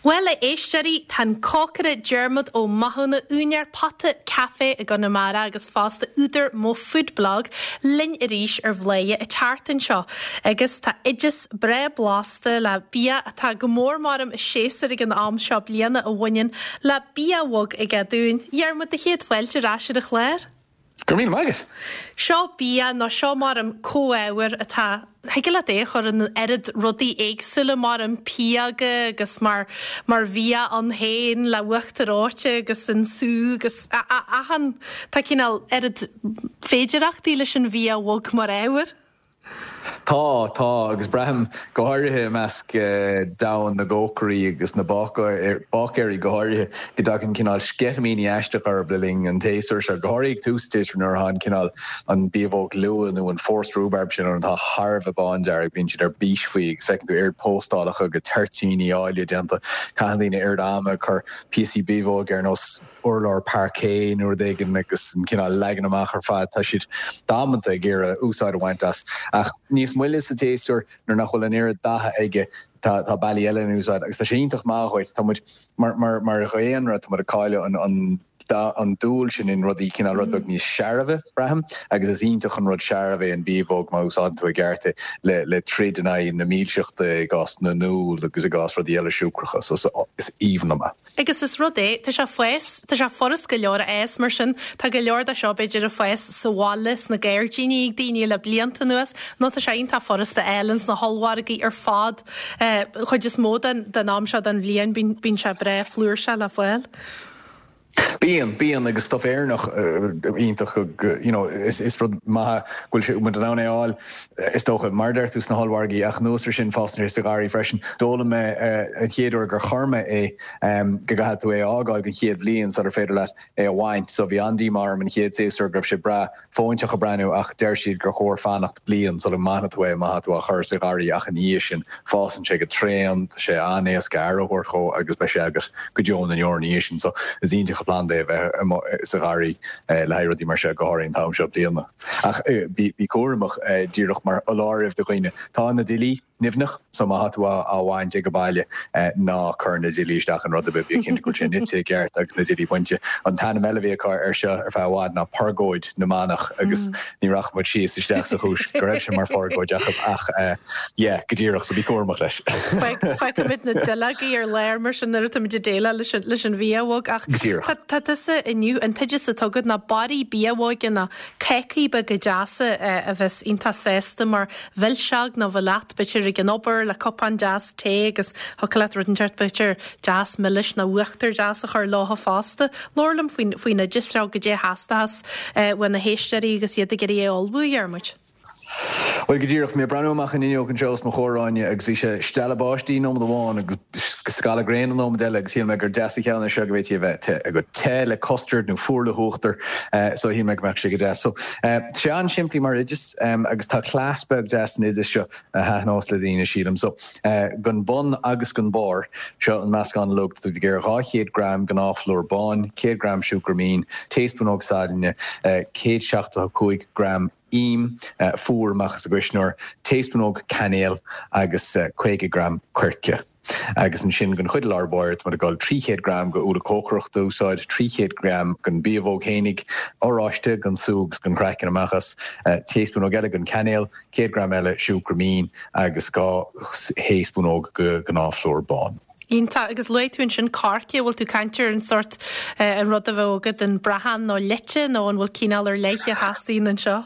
Bhuel, a éisteoirí, tá an cócaire Diarmuid Ó Mathúna, úinéir Pota Café i gConamara agus fosta údar Mo Food Blog, linn arís ar Bhladhaire an tseachtain seo agus tá oideas breá blasta le bia atá go mór maram i séasúr ag an am seo bliana a bhaineann le bia bhog aige dúinn. A Dhiarmuid, do chéad fáilte ar ais ar an chlár. Go raibh míle maith agat. Seo bia nó seo maram comhábhar atá, thig leat é a chur in oiread rudaí éagsúla maram pióga agus mar mar bhia ann féin le uachtar reoite agus an sú agus achan, tá cineál oiread féidireachtaí leis an bhia bhog mar ábhar. Tá, tá, agus braithim, go háirithe i measc domhan na gcócairí agus na báicéirí go háirithe, go dtagann cineál sceitimíní aisteach orthu le linn an tséasúir seo, go háirithe ag tús an tséasúir nuair atá an cineál, an biabhóg luath nó an forced rhubarb sin ann atá thar a bheith bándearg, bíonn siad ar bís faoi agus feiceann tú oiread póstálacha de toirtíní áille déanta, caitheann daoine oiread ama ag cur píosaí biabhóige ar nós. urlár parquet nó rud éigin agus an cineál leagan amach ar fad, tá siad damanta ag iarraidh úsáid a bhaint as. Ach níos moille sa tséasúr, nuair nach bhfuil an oiread datha aige, tá tá bealaí eile in úsáid agus tá sé iontach maith dhuit. Tá muid, mar mar mar dhaonra, tá muid ag cailleadh an an an dúil sin in rudaí cineál rud beag níos searbha, braithim, agus is iontach an rud searbh é an biabhóg má úsáideann tú i gceart é le le troid in aghaidh na milseachta i gcás na n-úll agus i gcás rudaí eile siúcracha. So is aoibhinn liom é. Agus is rud é, tá sé fás, tá sé furast go leor a fhás, mar sin tá go leor de seo b'fhéidir ag fás sa bhaile, sna gairdíní ag daoine le blianta anuas, nó tá sé iontach furast a fháil ins na hollmhargaí ar fad. Chuid is mó den, den am seo den bhliain bíonn, bíonn sé breá flúirseach le fáil. Bíonn, bíonn agus stuff Éireannach iontach go, you know, is, is rud maith go bhfuil sé, muid in ann é a fháil. Is dócha, mar a deir tú, sna hollmhargaí, ach anuas ar sin, fásann sé sa gharraí freisin. D'fhoghlaim mé an chéad uair gur chuir mé é go gcaithfidh tú é a fhágáil don chéad bhliain sular féidir leat é a bhaint. So bhí an-díomá orm an chéad séasúr go raibh sé breá fóinteach ag breathnú ach deir siad gur chóir fanacht bliain sula mbainfidh tú é má tá tú á chur sa gharraí ach ina dhiaidh sin fásann sé go tréan, tá sé an-éasca aire a thabhairt dhó agus beidh sé agat go deo na ndeor ina dhiaidh sin. So is iontach an planda é a bheith amuigh sa gharraí le haghaidh rudaí mar seo, go háirithe an t-am seo bliana. Ach bí cúramach, díreach mar fholáireamh do dhaoine, tá na duillí nimhneach, so má tá tú á bhaint ag baile, ná cuir na duillí isteach in rud ar bith, bí cinnte go bhfuil sé nite i gceart agus na duillí bainte. An t-ainm eile a bhí acu air seo ar feadh i bhfad ná purgóid na manach agus ní rachaidh muid síos isteach sa chúis go raibh sé mar phurgóid acu ach yeah, go díreach, so bí cúramach leis. Fágfaimid na duilleogaí ar lár mar sin nuair atáimid ag déileáil leis an bhia bhog ach Go díreach. tá tusa inniu, an t-oideas atá agat ná barraí biabhóige nó cácaí beaga deasa a bheas iontach sásta mar mhilseog nó bheith leat b'fhéidir ag an obair le cupán deas tae agus thiocfadh leat rud inteacht b'fhéidir deas milis nó uachtar deas a chur leotha fosta. Labhair liom faoin faoin oideas seo, goidé a theastóchas uaidh na héisteoirí agus iad ag iarraidh é a ullmhú, a Dhiarmuid. Bhuel, go díreach, bhí mé ag breathnú amach an fhuinneog anseo os mo chomhair, Áine, agus bhí sé stealladh báistí nóiméad amháin agus scalladh gréine nóiméad eile agus shíl mé gur deas an ceann é seo go bhféadfaí a bheith te, go te le custard nó fuar le huachtar, so shíl mé go mbeadh sé go deas. So, tá sé an-simplí mar oideas agus tá cleas beag deas san oideas seo a thaitneos le daoine, sílim. So, don bun agus don barr, seo an meascán uilig, tá tú ag iarraidh 200 gram gnáthphlúr bán, 100 gram siúcra mín, taespúnóg sailinne, 175 gram im fuar amach as an gcuisneoir, taespúnóg cainéil agus 50 gram coirce. Agus ansin don chuid i lár báire, tá muid ag dul 300 gram de úlla cócaireachta a úsáid, 300 gram den biabhóg fhéinig, oráiste gan sú agus gan craiceann amach as, taespúnóg eile den cainéal, 100 gram eile siúcra mín agus 2 thaespúnóg de ghnáthphlúr bán. Iontach. Agus luaigh tú ansin coirce, an bhfuil tú ag caint ar an sórt, an rud a bheadh agat, an brachán nó leite nó an bhfuil cineál ar leith a theastaíonn anseo?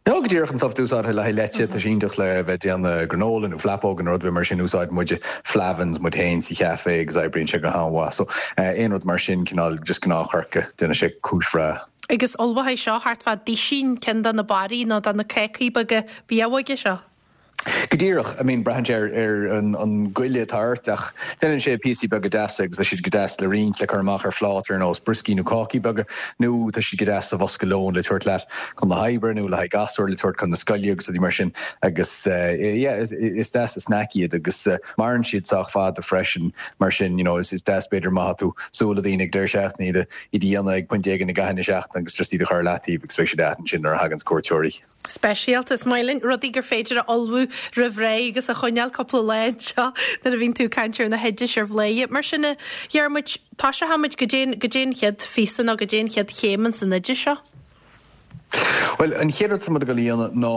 No, go díreach an stuff úsáidte le haghaidh leite, tá sé iontach le bheith ag déanamh granola nó flapóga nó rud ar bith mar sin, úsáideann muide Flahavan's muid féin sa chaife agus oibríonn sé go han-mhaith. So, aon rud mar sin, cineál just gnáthchoirce, déanann sé cúis bhreá. Agus ullmhóidh seo thart fá duisín ceann de na barraí nó de na cácaí beaga biabhóige seo. Go díreach, I mean, braitheann sé ar an goile atá ort ach déanann sé píosaí beaga deasa agus tá siad go deas le roinnt, le cur amach ar phláta ar nós brioscaí nó cácaí beaga nó tá siad go deas sa bhosca lóin le tabhairt leat chun na hoibre nó le haghaidh gasúir le tabhairt chun na scoile agus rudaí mar sin agus yeah, is deas an snack iad agus maireann siad sách fada freisin mar sin, you know, is deas b'fhéidir má tá tú ag súil le daoine ag deireadh seachtaine iad a dhéanamh ag pointe éigin i gcaitheamh na seachtaine agus just iad a chur ar leataobh agus beidh siad agat ansin nuair a thaganns cuairteoirí. Speisialta. Is maith linn rudaí gur féidir a ullmhú. roimh ré agus a choinneáil cúpla lá anseo nuair a bhíonn tú ag caint ar na hoidis ar Bhladhaire. Mar sin, a Dhiarmuid, toiseochaimid, goidé goidé an chéad phíosa nó goidé an chéad chéim ins an oideas seo. Bhuel, an chéad rud atá muid ag dul a dhéanamh ná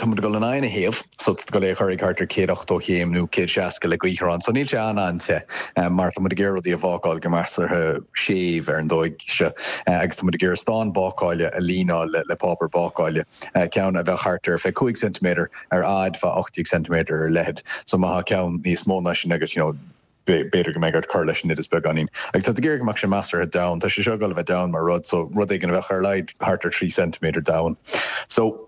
tá muid ag dul an oigheann a théamh, so tá tú ag dul é a chur ag thart ar 180 chéim nó 160 le gaothaireán, so níl sé an-an-te mar tá muid ag iarraidh rudaí a bhácáil go measartha séimh ar an dóigh seo agus tá muid ag iarraidh stán bácáile a líneáil le páipéar bácáile, ceann a bheadh thart ar 25 ceintiméadar ar fhad, fá 18 ceintiméadar ar leithead, so má tá ceann níos mó ná sin agat, you know, b'fhéidir go mbeidh ort cur leis an oideas beagáinín. Agus tá tú ag iarraidh go mbeadh sé measartha domhain. Tá sé seo ag dul a bheith domhain mar rud, so rud éigin a bheadh ar a laghad thart ar 3 ceintiméadar domhain. So,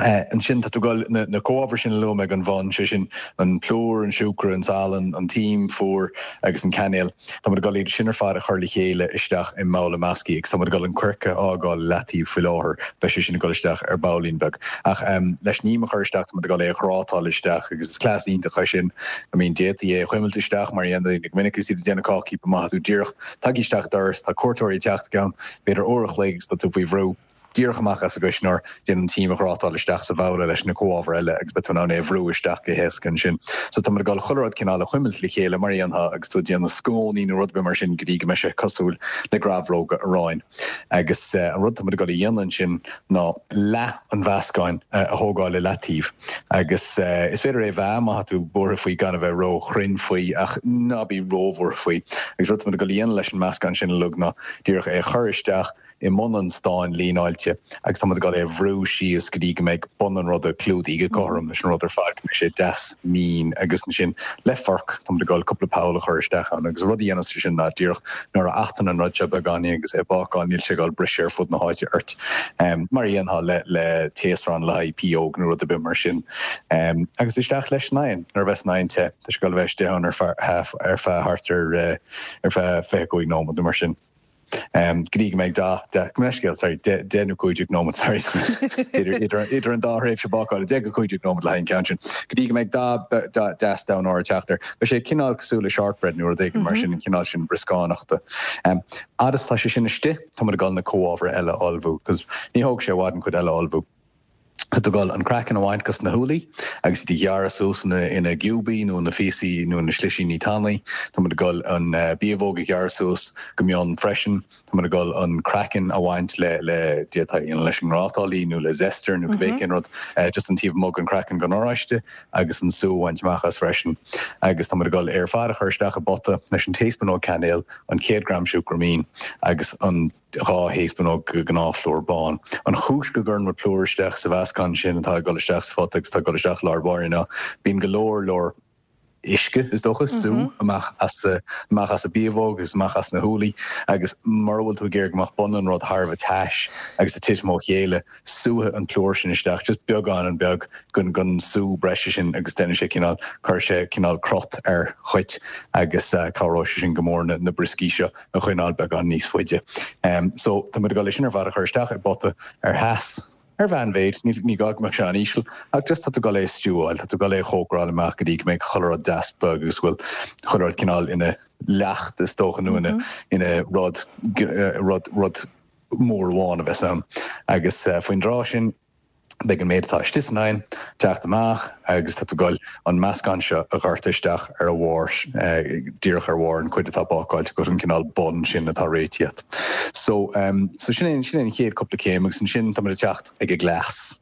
ansin tá tú ag dul na, na comhábhair sin a luaigh mé ag an bhun, sé sin an plúr, an siúcra, an salann, an t-im fuar agus an cainéal. Tá muid ag dul iad sin ar fad a chur le chéile isteach i mbabhla measctha agus tá muid ag dul an coirce a fhágáil i leataobh faoi láthair, beidh sé sin ag dul isteach ar baillín beag. Ach leis an im a chur isteach tá muid ag dul é a ghrátáil isteach agus is cleas iontach é sin. I mean d'fhéadfaí é a chuimilt isteach mar a dhéanann daoine go minic agus iad ag déanamh cácaí but má tá tú díreach tagtha isteach doras, tá cuairteoirí ag teacht i gceann b'fhéidir uair a chloig agus tá tú faoi bhrú díreach amach as an gcuisneoir, déan an t-im a ghrátáil isteach sa bhabhla leis na comhábhair eile agus beidh tú in ann é a bhrú isteach go héasca ansin. So tá muid ag dul chuile rud cineál a chuimilt le chéile mar a dhéanfá agus tú ag déanamh scónaí nó rud ar bith mar sin go dtí go mbeidh sé cosúil le grabhróga aráin. Agus an rud atá muid ag dul a dhéanamh ansin ná leath an mheascáin a thógáil i leataobh agus is féidir é a mheá má tá tú buartha faoi gan a bheith ró-chruinn faoi ach ná bí róbhuartha faoi. Agus rud atá muid ag dul a dhéanamh leis an meascán sin uilig ná díreach é a chur isteach i mbun an stáin líneáilte agus tá muid ag dul é a bhrú síos go dtí go mbeidh bun an ruda clúdaithe go cothrom leis an rud ar fad, go mbeidh sé deas mín agus ansin le forc tá muid ag dul cúpla poll a chur isteach ann agus an rud a dhéanas sé sin ná díreach nuair a fhaighteann an rud seo beagáinín agus é ag bácáil níl sé ag dul briseadh ar fud na háite ort mar a dhéanfá le le taosrán le haghaidh pióg nó rud ar bith mar sin. Agus isteach leis san oigheann nuair a bheas an oigheann te, tá sé ag dul a bheith istigh ann ar feadh ar feadh thart ar ar feadh 25 nóiméad nó mar sin. Go dtí go mbeidh dath, gabh mo leithscéal, sorry, 10 nó 15 nóiméad, sorry, idir an dá thréimhse bácála, 10 go 15 nóiméad le haghaidh an ceann sin, go dtí go mbeidh dath deas donn óir ag teacht air. Beidh sé cineál cosúil le shortbread nó rud éigin mar sin, an cineál sin brioscánachta. Fhad is tá sé sin istigh, tá muid ag dul na comhábhair eile a ullmhú, 'cause ní thógfaidh sé i bhfad an chuid eile a ullmhú. Tá tú ag dul an craiceann a bhaint dos na húllaí agus iad a ghearradh suas ina gciúbaí nó ina phíosaí nó ina slisíní tanaí. Tá muid ag dul an biabhóg a ghearradh suas go mion freisin. Tá muid ag dul an craiceann a bhaint le le d'fhéadfá a dhéanamh leis an ngrátálaí nó le zester nó cibé cén rud, just an taobh amuigh den chraiceann den oráiste agus an sú a bhaint amach as freisin. Agus tá muid ag dul é ar fad a chur isteach i bpota leis an taespúnóg cainéil, an 100 gram siúcra mín agus an. 2 thaespúnóg de ghnáthphlúr bán. An chúis go gcuireann muid plúr isteach sa mheascán sin atá ag dul isteach sa phota agus atá ag dul isteach i lár báire ná bíonn go leor leor uisce, is dócha, sú amach as amach as an biabhóg agus amach as na húllaí agus mura bhfuil tú ag iarraidh go mbeadh bun an rud thar a bheith tais agus ag titim ó chéile, súfaidh an plúr sin isteach just beagán beag den den sú breise sin agus déanfaidh sé cineál, cuirfidh sé cineál crot air dhuit agus cabhróidh sé sin go mór na brioscaí seo a choinneáil beagán níos faide. So tá muid ag dul é sin ar fad a chur isteach i bpota ar theas, ar mheánmhéid, ní gá go mbeadh sé an-íseal, ach just tá tú ag dul é a stiúáil, tá tú ag dul é a chócaráil amach go dtí go mbeidh chuile rud deas bog agus go bhfuil chuile rud cineál ina leacht is dócha nó ina ina rud rud rud mór amháin a bheas ann. Agus faoin dtráth sin beidh an méid atá istigh san oigheann ag teacht amach agus tá tú ag dul an meascán seo a dhoirteadh isteach ar a bharr, díreach ar bharr an chuid atá bácáilte agat, an cineál bun sin atá réitithe agat. So, so sin é, sin é an chéad cúpla céim agus ansin tá muid ag teacht ag an gcleas.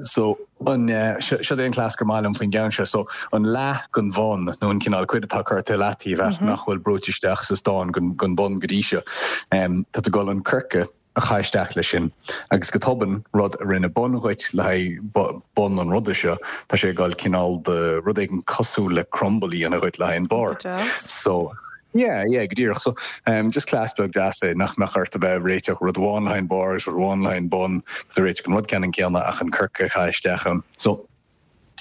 So, an, seo é an cleas gur maith liom faoin gceann seo. So, an leath den bhun nó an cineál cuid atá curtha i leataobh agat nach bhfuil brúite isteach sa stán den bhun go dtí seo, tá tú ag dul an coirce a chaitheamh isteach leis sin agus go tobann, rud a rinne bun dhuit le haghaidh bun an ruda seo, tá sé ag dul cineál de rud éigin cosúil le crumble a dhéanamh dhuit le haghaidh an barr. So, yeah, yeah, go díreach. So, just cleas beag deas é nach mbeadh ort a bheith ag réiteach rud amháin le haghaidh an barr agus rud amháin le haghaidh an bun, tá tú ag réiteach an rud ceannann céanna ach an coirce a chaitheamh isteach ann. So,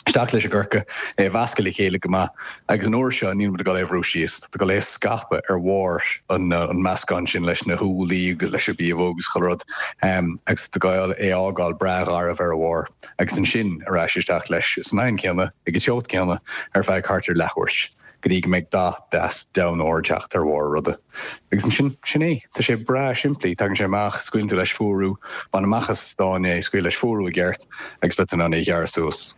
isteach leis an gcoirce, é a mheascadh le chéile go maith agus an uair seo níl muid ag dul é a bhrú síos, tá tú ag dul é a scaipeadh ar bharr an meascán sin leis na húllaí agus leis an biabhóg agus chuile rud agus tá tú ag dul é a fhágáil breá garbh ar a bharr agus ansin ar ais isteach leis san oigheann céanna ag an teocht céanna ar feadh thart ar leathuair go dtí go mbeidh dath deas donn óir ag teacht ar bharr an ruda. Agus ansin, sin é. Tá sé breá simplí. Tagann sé amach, scaoileann tú leis fuarú, bain amach as an stán é, scaoil leis fuarú i gceart agus beidh tú in ann é a ghearradh suas.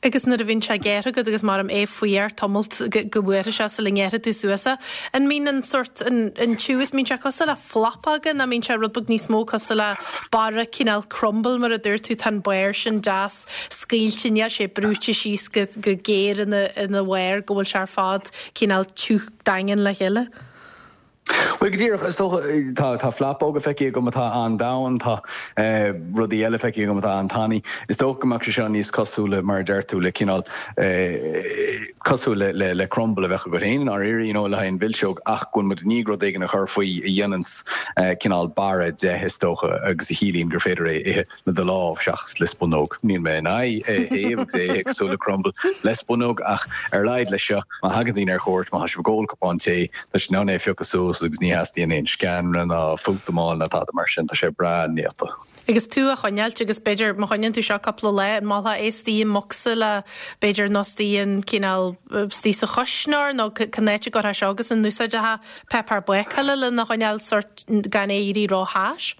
Agus nuair a bhíonn sé gearrtha agat agus maram é fuar tamalt go bhfuarfaidh sé sula ngearrfaidh tú suas é, an mbíonn an sórt, an tiús, mbíonn sé cosúil le flapóga nó mbíonn sé rud beag níos mó cosúil le barra cineál crumble mar a dúirt tú, tá an barr sin deas scaoilte, níl sé brúite síos go géar ina ina bharr go bhfuil sé ar fad cineál tiúch daingean le chéile. Bhuel, go díreach, is dócha, tá, tá flapóga feicthe agam atá an-domhain, tá rudaí eile feicthe agam atá an-tanaí. Is dócha go mbeadh sé seo níos cosúla, mar a deir tú, le cineál, cosúil le, le, le crumble a bheadh agat féin i ndáiríre, you know, le haghaidh an mhilseog, ach go bhfuil muid i ndiaidh rud éigin a chur faoi a dhéananns cineál barra de, is dócha, agus a chiallaíonn gur féidir é a ithe. le do lámh seachas le spunóg. Níl mé in aghaidh é a théamh agus é a ithe cosúil le crumble le spunóg ach ar a laghad leis seo, má thagann daoine ar cuairt, má tá sibh ag ól cupán tae, tá siad in ann é a phiocadh suas agus ní theastaíonn aon sceanra ná fútamáil ná tada mar sin, tá sé breá néata. Agus tú á choinneáilt agus b'fhéidir má choinníonn tú seo cúpla lá, an molfá é istigh i mbocsa le b'fhéidir nó istigh in cineál istigh sa chuisneoir nó cén áit a gcuirfeá seo agus an n-úsáidfeá páipéar bácála lena choinneáil sórt gan é éirí ró-thais?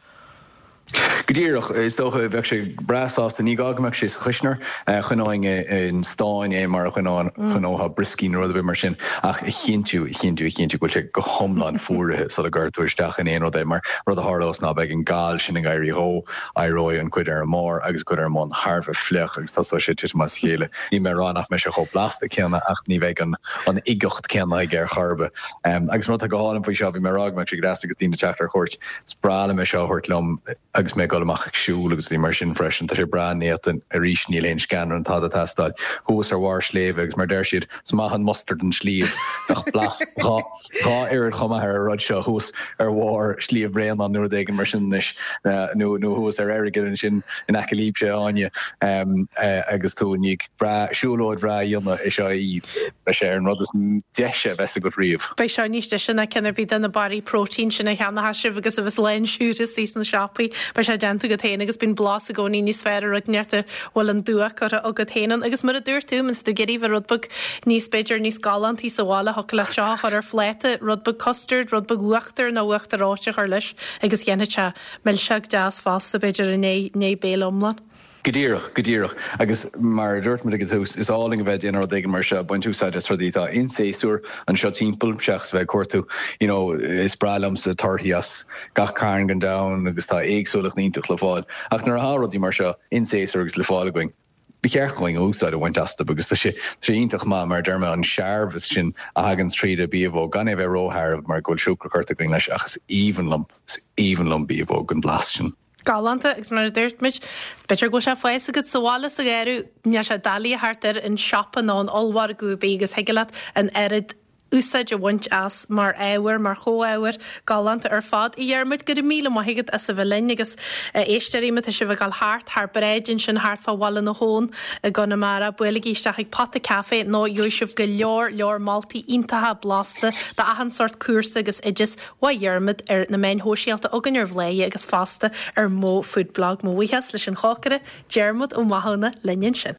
Go díreach, is dócha, bheadh sé breá sásta. Ní gá go mbeadh sé sa chuisneoir. Choinneoinn i stán é mar a choinneofá brioscaí nó rud ar bith mar sin ach a chinntiú, a chinntiú, a chinntiú go bhfuil sé go hiomlán fuaraithe sula gcuirfidh tú isteach in aon rud é mar rud a tharlós ná beidh an gal sin ag éirí dhó, éireoidh an cuid ar an mbarr agus an cuid ar an mbun thar a bheith fliuch agus tosóidh sé ag titim as a chéile. Níl mé ag rá nach mbeidh sé chomh blasta céanna ach ní bheidh an uigeacht céanna aige ar chor ar bith. Agus an rud atá go hálainn faoi seo, bhí mé ag rá go mbeadh sé go deas agus daoine ag teacht ar cuairt, Is breá liom é seo a thabhairt liom agus mé ag dul amach ag siúl agus rudaí mar sin freisin. Tá sé breá néata. Arís, níl aon sceanra ná tada ag teastáil. Thuas ar bharr sléibhe agus mar deir siad, is maith an mustard an sliabh. Bheadh blas dhá oiread chomh maith ar an rud seo thuas ar bharr Shliabh Bhréanainn nó rud éigin mar sin anois nó nó thuas ar Earagail ansin in aice libhse, a Áine, agus tú i ndiaidh breá siúlóid bhreá a dhéanamh é seo a ithe. Beidh sé ar an rud is deise a bheas agat riamh. Beidh seo níos deise ná ceann ar bith de na barraí próitín sin a cheannóchas sibh agus a bheas lán siúcra istigh sna siopaí. Beidh sé déanta agat féin agus bíonn blas i gcónaí níos fearr ar rud inteacht a bhfuil an dua curtha agat féin ann. Agus mar a dúirt tú, má tá tú ag iarraidh bheith rud beag níos, b'fhéidir, níos galántaí sa bhaile, thiocfadh leat seo a chur ar phláta, rud beag custard, rud beag uachtair nó uachtar reoite a chur leis agus dhéanfadh sé milseog deas fosta, b'fhéidir, i ndiaidh béile iomlán. Go díreach, go díreach. Agus mar a dúirt muid ag an tús, is álainn a bheith ag déanamh rud éigin mar seo, ag baint úsáid as rudaí atá in séasúr anseo timpeall, seachas a bheith ag cuartú, you know, is breá liomsa torthaí as gach cearn den domhan agus tá éagsúlacht iontach le fáil. Ach nuair atá rudaí mar seo in séasúr agus le fáil againn, ba cheart dhúinn úsáid a bhaint astu agus tá sé, tá sé iontach maith, mar a deir mé, an searbhas sin a thaganns tríd an biabhóg, gan é a bheith róshearbh mar go bhfuil siúcra curtha againn leis ach is aoibhinn liom, is aoibhinn liom biabhóg, an blas sin. Galánta, agus mar a dúirt muid, b'fhéidir go bhfuil sé ag fás agat sa bhaile sa gharradh, níl sé doiligh a theacht air in siopa nó in ollmhargadh ar bith agus thig leat an oiread úsáid a bhaint as mar ábhar, mar chomhábhar. Galánta ar fad. A Dhiarmuid, go raibh míle maith agat as a bheith linn agus a éisteoirí, má tá sibh ag dul thart thar bráid ansin thart fá Bhaile na hAbhann i gConamara, buailigí isteach ag Pota Café nó gheobhaidh sibh go leor leor moltaí iontacha blasta d'achan sórt cúrsa agus oideas Uaidh Dhiarmaid ar na meáin shóisialta againn ar Bhladhaire agus fosta ar Mo Food Blog. Mo bhuíochas leis an chócaire, Diarmuid Ó Mathúna, linn ansin.